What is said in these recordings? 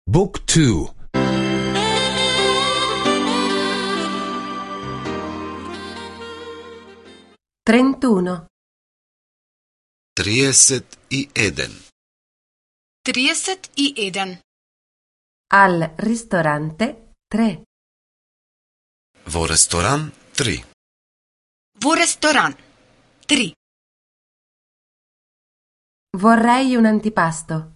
Book 2. 31. 31. 31. Al ristorante 3. Во ресторан 3. Во ресторан 3. Vorrei un antipasto.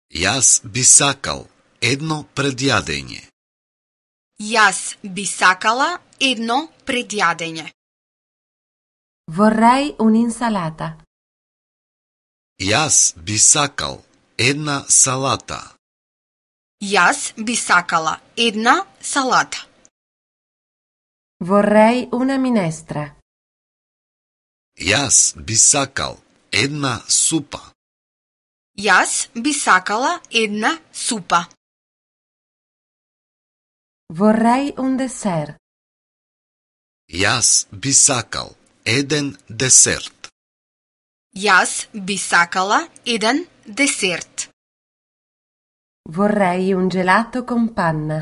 Јас би сакал едно предјадење. Јас би сакала едно предјадење. Vorrei un'insalata. Јас би сакал една салата. Јас би сакала една салата. Vorrei una minestra. Јас би сакал една супа. Јас би сакала една супа. Vorrei un dessert. Јас би сакал еден десерт. Јас би сакала еден десерт. Vorrei un gelato con panna.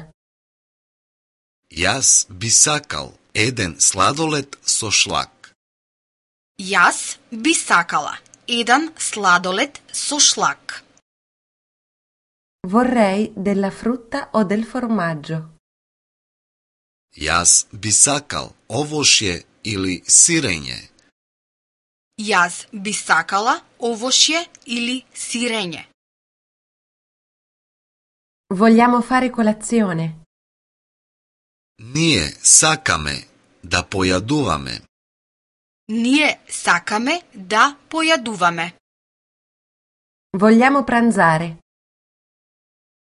Јас би сакал еден сладолед со шлак. Јас би сакала еден сладолед со шлак. Vorrei della frutta o del formaggio. Јас би сакал овошје или сирење. Јас би сакала овошје или сирење. Vogliamo fare colazione. Ние сакаме да појадуваме. Ние сакаме да појадуваме. Vogliamo pranzare.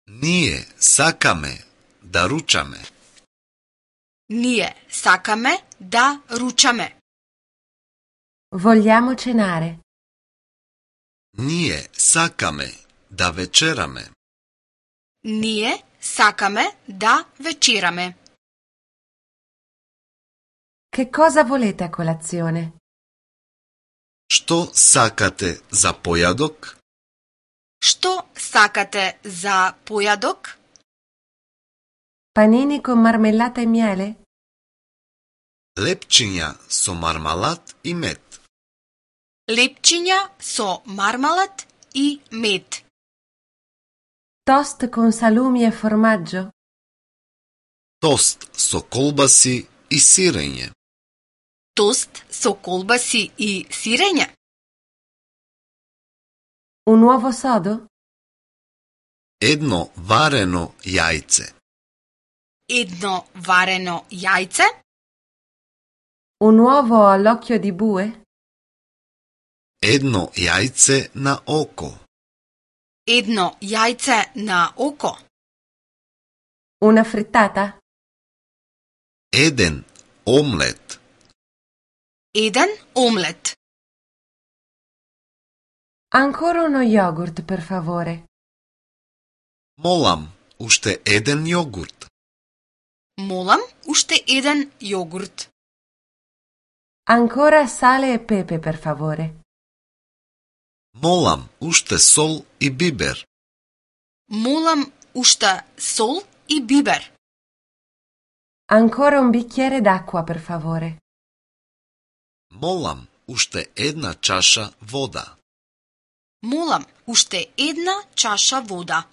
Ние сакаме да ручаме. Ние сакаме да ручаме. Vogliamo cenare. Ние сакаме да вечераме. Ние сакаме да вечераме. Che cosa volete a colazione? Што сакате за појадок? Што сакате за појадок? Panini con marmellata e miele? Лепчиња со мармалад и мед. Лепчиња со мармалад и мед. Toast con salumi e formaggio? Тост со колбаси и сирење. Тост со колбаси и сирење. Un uovo sodo? Едно варено јајце. Едно варено јајце. Un uovo all'occhio di bue? Едно јајце на око. Едно јајце на око. Una frittata? Еден омлет. Еден омлет. Ancora uno yogurt, per favore. Молам, уште еден јогурт. Молам, уште еден јогурт. Ancora sale e pepe, per favore. Молам, уште сол и бибер. Молам, уште сол и бибер. Ancora un bicchiere d'acqua, per favore. Молам, уште една чаша вода. Молам, уште една чаша вода.